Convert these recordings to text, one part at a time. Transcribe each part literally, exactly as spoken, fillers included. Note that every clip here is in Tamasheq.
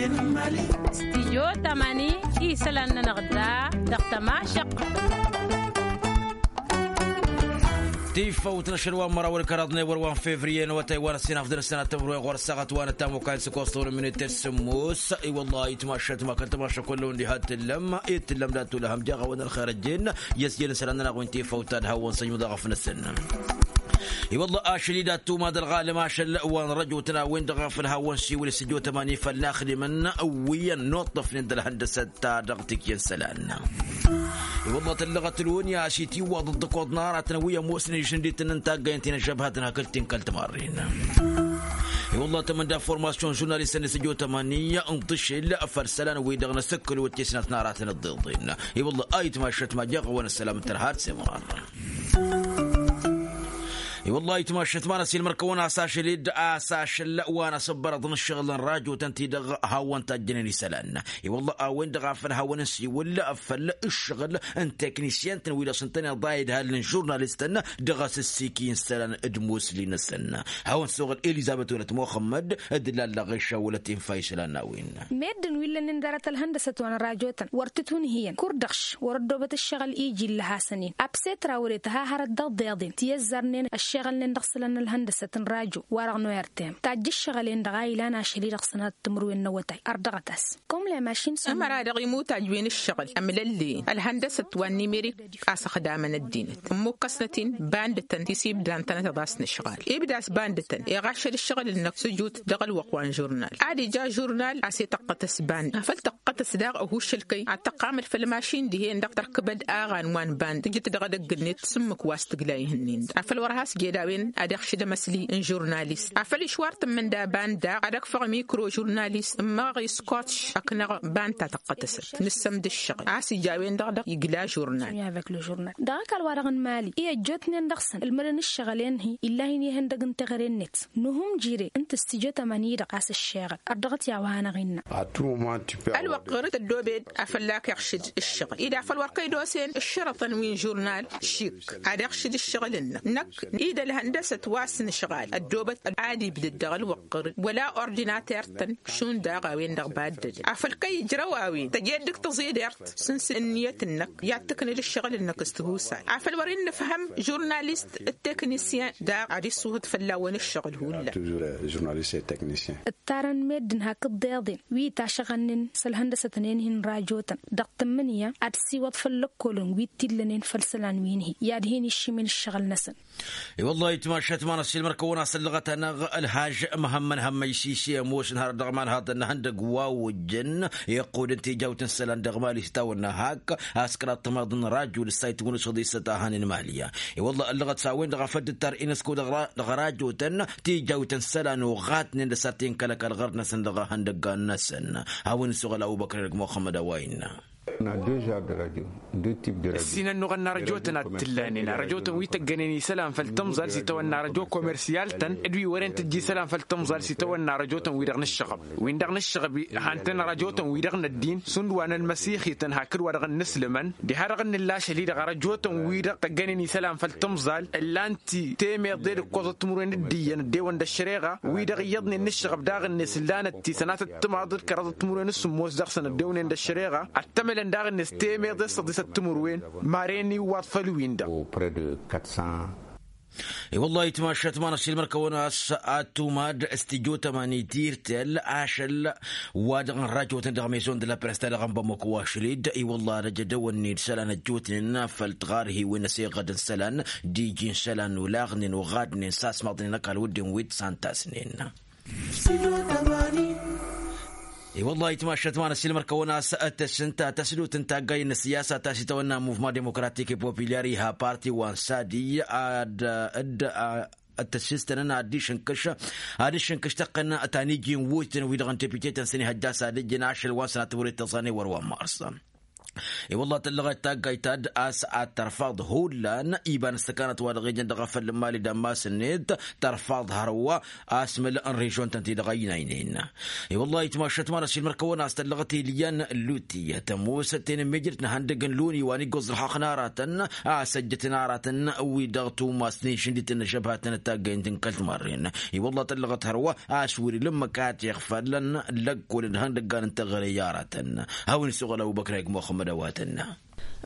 Stijyo tămani isălan-nănăɣ da dăɣ-tămašăq. Tifăwt n-ašăl wa n-măraw ălkăraḍ n-ewăr wa n-fevriye n-awătay wa n-ăssinafḍăn ăssanat tămrăwen ɣur-ăssaɣăt wa n-ătamokayăn s-ăkoẓ tăwrămnet tăssǝmmos. I-wălla-hi itmašat ma kăl-tămašăk wălla-wen diha t-tǝllăm i-tǝllăm dat-tulăhăm jaɣ-awăn ălxer ăjjeen i-ăsjel n-isălan-nănăɣ wi n-tifăwt ad-hawăn-săjmǝḍ aɣăf-năsăn. I-wălla ašăl-i d-ad-tumad ălɣalăm ašăl wa n-răjotăn a-wen-dăɣ a făl hawăn-siwǝl s-ăjjootămani făll-naɣ ăxdimăn wi ănnuṭṭăfnen d-ălhăndăsăt ta dăɣ-tikǝyăn isălan. I-wălla tăllăɣăt ălwănni a-s itiwwaḍ dd-ăkoḍ n-aratăn wi ămoosnen išǝndităn n-taggayăn ti n-ăžžăbhătăn hakd ti n-kăl-timarren. I-wălla tămănda formasyon žurnalistăn s-ăjjootămani n-tǝšǝl făll-isălan-wi-dăɣ n-asǝkkǝl wăr t-isnat n-aratăn ăḍḍeḍen. I-wălla a itmašat ma jaɣ-awăn ăssălam n-tărha d-semrar. I-wălla-hi itmašat ma n-ăsilmăr-kăwăn a-s ašăl-dd a-s ašăl wa n-asǝbbărăḍ n-ǝššăɣǝl n-rajotăn-ti-dăɣ hawăn-tajjănen isălan. I-wălla a-wen-dăɣ a făl hawăn-nǝsiwǝl făll-ǝššăɣǝl n-teknisyăn-tăn wi-dăɣ s-ǝntăneḍ a idhal n-žurnalistăn dăɣ-asǝssiki n-isălan d-musli-năsăn. Hawăn-suɣǝl elizăbet wălăt muxămmăd d-lalla ɣešawălăt infa isălan n-a-wen. Meddǝn wi ǝllănen dăr-tălhăndăsăt wa n-rajotăn wăr tǝtwǝnhǝyăn kur-dăɣ š-wăr ăddoobăt ǝššăɣǝl iji ǝllăhasăn-in. Abse trawăre tăha hărăt dăɣ-deḍen ti ăzzarnen ăššeɣălnen dăɣ-isălan n-ălhăndăsăt n-rajo wa-dăɣ n-o-r-t-em tajj ǝššăɣǝl-en-dăɣ a ilan ašăl-i-dăɣ sănatăt timǝrwen n-awătay ărdăɣăt-as. Kăwăm-lăy mašin s-ămăra dăɣ-imutaj wi n-ǝššăɣǝl ămlălleyen ălhăndăsăt wa n-nimerik a-s ăxdamăn ăddinăt ǝmmukăsnăt-in bandătăn ti s-ibdan tănăteḍ a-s nǝšɣal ibda a-s bandătăn iɣašăl ǝššăɣǝl-năk s-ǝjut dăɣ-ălwăqq wa n-žurnal ad-ija žurnal a-s ităqqătăs bandăt afăl tăqqătăs daɣ ăhuššăl-kăy ad-tăqqamăd făll-mašin dihen-dăɣ tărkǝbăd aɣan wa n-bandăt tǝjǝt dăɣ-edăgg-net s-ǝmmǝk wa s-tǝgla ihǝnnin-dăɣ afăl wăr has-jedawăn ad-iɣšǝd amăsli n-žurnalist afăl išwar tǝmmǝnda bandăt ad-ăkfăɣ mikro žurnalist ǝmmăɣăɣ iskotš ăknăɣ bandăt ta tăqqătăsăt nǝssăm d-ǝššăɣǝl a-s ija a-wen-dăɣ dăɣ-igla žurnal. Dăɣ-ăkall-wa-dăɣ n-mali i-ăjjootnen dăɣ-săn ǝlmădăn ǝššăɣǝl-en-hi ill'-ahin ihăndăg n-teɣăre-net nuhum jire n-tǝstijotăm ănidăɣ a-s ǝššeɣăl ărdăɣăt i-a-wa hanăɣ-innă. Ălwăqq ɣur-dd tăddoobed afăl ak-iɣšǝd ǝššăɣǝl-i d-afăl wăr kăy-dd-osen ǝššărătăn wi n-žurnal šik ad-iɣšǝd ǝššăɣǝl-năk năkk i-dd-ălhăndăsăt wa s-nǝšɣal ăddoobăt ad-ibdăd dăɣ-ălwăqq ɣur-dd wăla ordinater-tăn šund daɣ a-wen-dăɣ baddădăn afăl kăy-ijrăw a-wen tăj'-e dd-ǝkk tăẓidert s-ǝnniyăt-năk i-ad-tǝknǝd ǝššăɣǝl-năk s-tihusay afăl wăr-innǝfhăm žurnalist d-teknisyen daɣ ad-isuhǝd fălla-wăn ǝššăɣǝl hullan. Ǝttarăn meddǝn hakd deḍen wi itašăɣănnen s-ălhăndăsătnen-hi n-rajotăn dăɣ-tǝmmǝnǝya ad-ǝssiwăḍ făll-ăkkolăn wi t-illănen făll-isălan wi n-hi i-ad-hin-iššimen ǝššăɣǝl-năsăn. I-wăllah itmašat ma n-ăssiilmăr-kăwăn a-s ăllăɣăt-anăɣ ălhaj măhămmăn hămmăy sise ămoosăn har dăɣ-iman haḍăn n-ihăndăg wa ojjăn iqqud n-tijawt n-isălan dăɣ-mali s-tawănna hak a-s kăraḍ timaḍ n-rajul s-a itwǝnǝsăḍ isăt a hanen mali. I-wăllah ăllăɣăt s-a-wen-dăɣ a făl dd-tar inesco dăɣ-rajotăn tijawt n-isălan uɣatnen d-asarten kăl-ăkall ɣărd-năsăn dăɣ-ihăndăggan-năsăn. A-wen isuɣǝl ăbubăkr edăgg muxămmăd a-wa innă. Ǝssin ănnuɣăn n-arăjotăn ad-t-ǝllanen arăjotăn wi tăggănen isălan făll-tǝmẓal s-itawănna arăjo komersiyal-tăn d-wi wăren tǝjj isălan făll-tǝmẓal s-itawănna arăjotăn-wi-dăɣ n-ǝššăɣăb-wi-dăɣ n-ǝššăɣăb-i. Han-tăn arăjotăn-wi-dăɣ n-ăddin šund wa n-ălmăsixităn hakd wa dăɣ-nǝslǝmăn diha-dăɣ n-nǝlla ašăl-i-dăɣ arăjotăn-wi-dăɣ tăggănen isălan făll-tǝmẓal ǝllan-t temeḍe d-ǝkkoẓăt timǝrwen d-iyyăn ăddewăn d-ăššăreɣa wi-dăɣ iyyăḍnen n-ǝššăɣăb daɣ-net ǝllanăt ti sănatăt timaḍ d-kăraḍăt timǝrwen s-sǝmmos dăɣ-săn ăddewnen d-ăššăreɣa ad-tămălăn daɣ-net temeḍe s-săḍisăt timǝrwen. Maren iwwaḍ făll-win-dăɣ. I-wăllah itmašat ma n-ăssiilmăr-kăwăn a-s ad-tumad s-tijotăm ănitǝrtăl ašăl wa dăɣ-nărajotăn dăɣ-mezon d-la presta dăɣ-nbămăk wa šăl-dd i-wăllah ad-ăj ădăwănnen isălan ăjjootnen făll-tiɣarhiwen ăseɣăd n-isălan d-iji n-isălan olaɣnen oɣadnen s-asmaḍnen ăkall wădden wi t-santasnen. I-wăllah itmašat ma n-ăssiilmăr-kăwăn a-s tăsǝnta tăsdut n-taggay n-ăssiyasa ta s-itawănna muvma demokratik i-populyar iha parti wa n-sadi ad-dd-a ăttăsistănăn ad-dd-išǝnkǝš ad-išǝnkǝš tăqqăn ta n-iji n-wutǝn wi-dăɣ n-tepitetăn s-ănihăjja s-ad-ǝjjǝn ašăl wa n-sănatăwăret tăẓane wăr wa n-mars. I-wălla tăllăɣet taggayt ta dd-a-s ad-tărfaḍ hullan iba n-ǝssăkanăt wa dăɣ-ijăn dăɣ-afăl n-imali d-ammas-net. Tărfaḍ hărwa asmăl n-režion-tăn-ti-dăɣ ăynaynen. I-wălla-hi timašat ma n-ašilmăr kăwăn-as tăllăɣăt ilyan luti tămoosăt tenămmejrăt n-ihăndăg n-luni wa n-iggoẓ ălxaqq n-aratăn a-s ăjjătăn aratăn wi-dăɣ tumasnen šǝndităn n-ažăbhatăn d-taggaynt n-kăl-timarren. I-wălla tăllăɣăt hărwa a-s wăr-ila ǝmmǝk a t-iɣfălăn lăkkol d-ihăndăggan n-teɣăre i-aratăn. Hawăn-isuɣǝl ăbubăkr ayǝk muxămmăd a-wa tănna.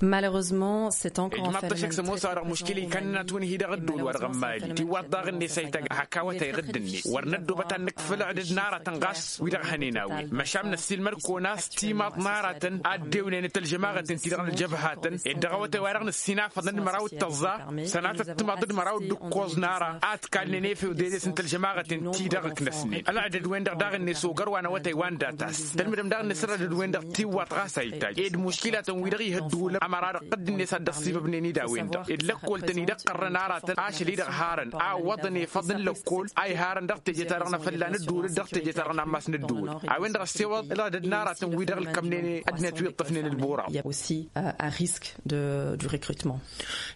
Malheureusement, cetănăn ijmaḍ-t ăššăk s-ămoos-a-dăɣ muškil ikăn-năt wǝnhǝy dăɣ-ădduul wa dăɣ-n mali tiwwaḍt daɣ-net a itag hak awătay ɣǝdd-net wăr năddoobăt ad-nǝkfǝl ăɣdǝd n-aratăn ɣas wi-dăɣ hănen a-wen măšan năssiilmăd-kăwăn a-s timaḍt n-aratăn a dd-ewnen d-tălžămaɣăten-ti-dăɣ n-ălžăbhatăn ed dăɣ-awătay-wa-dăɣ nǝssinafăḍ n-măraw d-tăẓẓa. Sănatăt timaḍ d-măraw d-ǝkkoẓ n-ara a ǝtkalnen efew dedes n-tălžămaɣăten-ti-dăɣ ǝknăsnen ălɣădăd-wen-dăɣ daɣ-net ogar wa n-awătay wa n-datas tălmǝdăm daɣ-net ălɣădăd-wen-dăɣ tiwwaḍt ɣas a itay ed muškilatăn-wi-dăɣ ihăddǝwǝlăn ămăra-dăɣ ɣǝdd-net a dd-ăṣṣibăbnen i-dawǝyăn-dăɣ ed lăkkol-tăn-i-dăɣ qărrăn aratăn ašăl-i-dăɣ harăn a ǝwwăḍăn efăḍ n-lăkkol a iharăn dăɣ-teje-ta-dăɣ n-afălla n-ǝddǝwǝl d-dăɣ-teje-ta-dăɣ n-ammas n-ǝddǝwǝl. A-wen-dăɣ ăssewăḍ ălɣădăd n-aratăn-wi-dăɣ ǝlkămnen ăddinăt wi ǝṭṭăfnen ălburaḍ.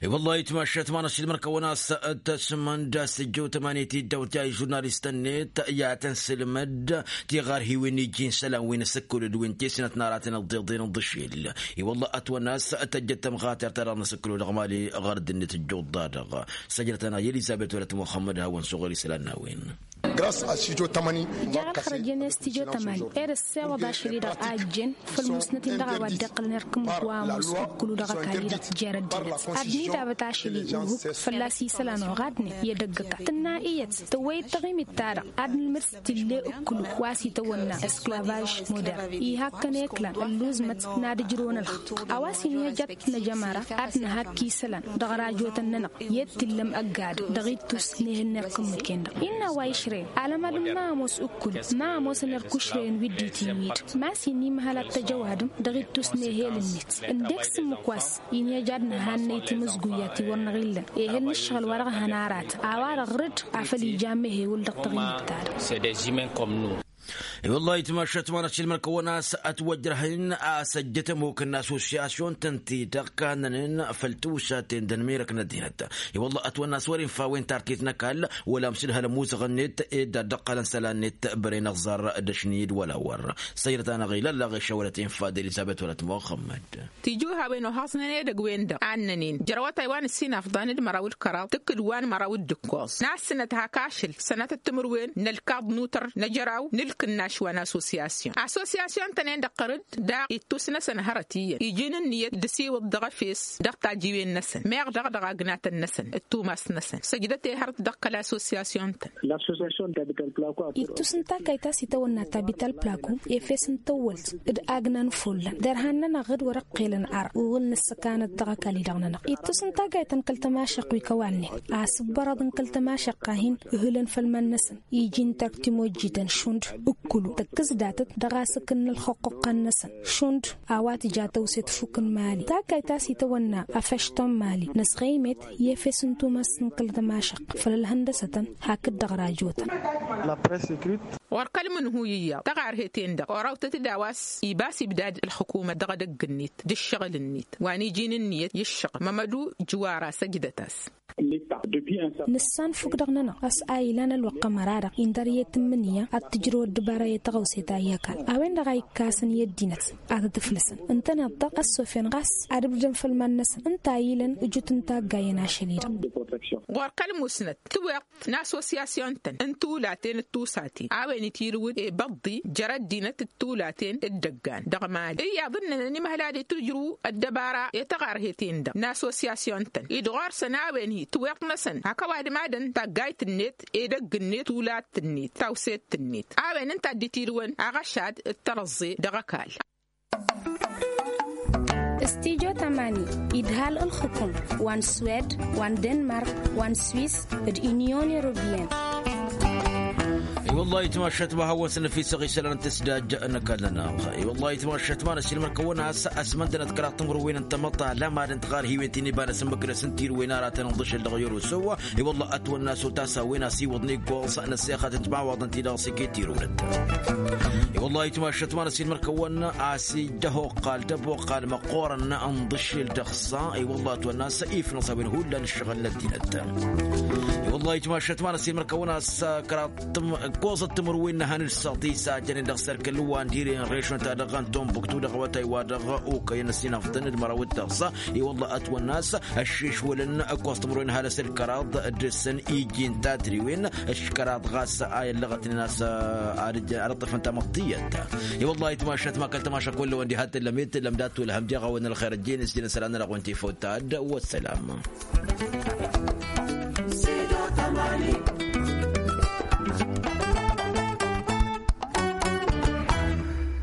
I-wălla-hi timašat ma n-ašilmăr kăwăn-as tăsmănd a-s ǝjjew tămani tiddawt ja ižurnalistăn-net i-ad-tăn-sǝlmăd tiɣarhiwen iji n-isălan wi n-asǝkkǝl d-wi n-tisnăt n-aratăn ăḍḍeḍen d-ašil. I-wălla ătwănna a-s tăjjăt tămɣatert-ta-dăɣ n-asǝkkǝl dăɣ-mali ɣărăd-net ǝjjuḍ-da-dăɣ săjdăt-anăɣ i-elizăbet wăla t-muxămmăd hawăn-suɣ ărisălan n-a-wen. Ija ălxărăj-en i-s tijo tămani ed ăssewăḍ ašăl-i-dăɣ a ǝjjen făll-musnăt-in-dăɣ a-wa dd-iqqǝlăn irkǝm wa ămoos ǝkkǝlu dăɣ-ăkall-i-dăɣ jer-ăddinăt ad-dd-nidabăt ašăl-i uhǝk fălla-s isălan oɣadnen i-edăgg ăkall tǝnna iyyăt tăwwăyăt taɣimit-ta-dăɣ ad-nǝlmǝd s-tille ǝkkǝlu wa s-itawănna esklavaj modern ihakkăn eklan ălluẓmăt n-ad-ǝjrǝwăn ălxaqq a-wa s-inhăjăt năjămăra ad-nǝhakk isălan dăɣ-rajotăn-nănăɣ i-dd-tǝllăm ăgg-adǝm dăɣ-ittus n-ehăn n-irkǝm mǝkken-dăɣ innă a-wa išrăyăn alămad n-ma ămoos ǝkkǝl ma ămoosăn irkušrăyăn wi dd-itiwǝyǝd ma s-innă imhăl ad-t-ăj ăwadǝm dăɣ-ittus n-ehel-net ǝndek s-ǝmmǝk wa s-inhăj ad-nǝhannăy timǝzguyya ti wăr năɣ-illăn ehel n-ǝššăɣǝl wa dăɣ-hăn aratăn a-wa-dăɣ rǝd afăl ija amehewǝl dăɣ-taɣimit-ta-dăɣ. I-wăllah itmašat ma n-ašilmăn kăwăn-as ătwăjrăhăn a-s ăjjăt ămok n-asosyasyun-tăn ti-dăɣ kannănen făll-tiwsaten d-ănmirăk n-ăddinăt. I-wăllah ătwănn'-as wăr-infa a-wen tartit n-ăkall wăla amsǝdhăl ămuzăɣ-net ed ad-dd-ăqqălăn isălan-net băren ăẓẓar d-ašni d-wăla wăr. Săyrăt-anăɣ-i lăllaɣ išăwălăt infa d-elizăbet wăla t-muxămmăd. Tijǝwhawen ohăẓnen edăgg-wen-dăɣ annănen jer-awătay wa n-ǝssin afḍan d-măraw d-kăraḍ tǝkkǝd wa n-măraw d-ǝkkoẓ n-assǝnăt hak ašăl sănatăt timǝrwen n-ălkaḍ n-utăr n-ejăraw n-ǝlkǝnnaš wa n-asosyasyon asosyasyon-tăn-en-dăɣ tărǝd daɣ ittus-năsăn hărăt-iyyăn iji n-ǝnniyăt d-asiwǝḍ dăɣ-efes dăɣ-tajiwen-năsăn meɣ daɣ dăɣ-agnatăn-năsăn d-tumas-năsăn săjdăt ehărăt dăɣ-kăl-asosyasyon-tăn. Ittus n-taggayt ta s-itawănna ta bital plako efes n-tawwălt d-agna n-follan derhan-nănăɣ d-wăr-ăqqelăn ar uɣǝl n-ăssăkanăt dăɣ-ăkall-i-dăɣ-nănăɣ ittus n-taggayt ta n-kăl-tămašăq wi kăwalnen asǝbbărăḍ n-kăl-tămašăq a hin-ǝhǝlăn făll-iman-năsăn iji n-terk timojjităn šund ǝkkǝlu tăkkǝs datăt dăɣ-asǝkkǝn n-ălxăqquqqăn-năsăn šund a-wa tǝja tăwset fukǝn mali taggayt ta s-itawănna afăšton mali năsɣăymet i-efes n-tumăst n-kăl-tămašăq făll-ălhăndăsătăn hakd-dăɣ rajotăn. Ɣur-kăl-imǝnhu iyyăḍ taɣarhet-en-dăɣ orawtăt-dd a-wa s-ibas ibdad ǝlxǝkumăt dăɣ-edăgg-net d-ǝššăɣǝl-net wa n-iji n-ǝnniyăt i-ǝššăɣǝl mămădu jǝwara săjdăt-as. Nǝssanfuk dăɣ-nănăɣ a-s a ilan ălwăqq ămăra-dăɣ indăr i-tǝmmǝnǝya ad-tǝjrăw ăddăbara i-tăɣăwse ta i-ăkall a-wen-dăɣ a ikkasăn i-ăddinăt ad-t-ǝflǝsăn ǝntăneḍ-dăɣ ăssofen ɣas ad-ǝbdǝdăn făll-iman-năsăn ǝnta a ilăn ǝjut n-taggayen ašăl-i-dăɣ. Ɣur-kăl-musnăt tiweḍt n-assosyasyon-tăn n-tulaten d-tusaten a-wen itirǝwǝd i-băḍḍi jer-ăddinăt d-tulaten d-idăggan dăɣ-mali iyyăḍ ǝnnănăn imhăl ad-itǝjrǝw ăddăbara i-taɣarhet-en-dăɣ n-assosyasyon-tăn-i d-ɣur-săn a-wen-hi tiweḍt-năsăn hak ăwadǝm ad-ănn taggayt-net edăgg-net tulat-net tawset-net a-wen ǝnta a dd-itirǝwăn aɣăšad d-tărăẓẓe dăɣ-ăkall. Stijo tămani idhal ǝlxǝkum wa n-swed wa n-denmark wa n-swis d-inyon europeyăn. I-wăllah itmašat ma hawăn-săn năfisăɣ isălan n-tǝsdaj n-ăkall-nănăɣ. I-wăllah itmašat ma năsilmăr-kăwăn-as ăsmăndănăt kăraḍ timǝrwen n-tamăḍt ălamad n-tiɣarhiwen ti n-ibanăsăn măkrăs n-tirwen aratăn n-ḍǝšǝl dăɣ-yorosăw. I-wăllah ătwănna s-otas a-wen a-s iwǝḍ n-iggoẓ n-ăssexăt n-timawaḍ n-ti-dăɣ s-iket tirwǝlăt. I-wăllah itmašat ma năsilmăr-kăwăn-as ija hoqqal tăboqqal măqqoorăn n-ḍǝšǝl dăɣ-s. I-wăllah ătwănna s-ifnăẓ a-wen hullan ǝššăɣǝl n-ăddinăt. I-wăllah itmašat ma năsilmăr-kăwăn-as kăraḍ ǝkkoẓăt timǝrwen n-ehăn d-săḍis a jănen dăɣ-sărkăl wa n-dire n-režon-ta-dăɣ n-tombuktu dăɣ-awătay wa dăɣ-okăyăn ăsinăfḍăn d-măraw d-tăɣsa. I-wălla ătwănna a-s ăššešwălăn ǝkkoẓ timǝrwen n-ehăn s-ălkăraḍ dăr-săn iji n-tatriwen. Ăškăraḍ ɣas a i-ăllăɣătnen a-s ad-ăṭṭăfăn tamăḍt tiyyăt. I-wălla itmašat ma kăl-tămaša kull-ăwăn diha t-tǝllăm i-tǝllăm dat-wăl hăm deɣ-awăn ălxer ăjjeen s-jăn isălan-nănăɣ wa n-tifăw ta d-wăssălam.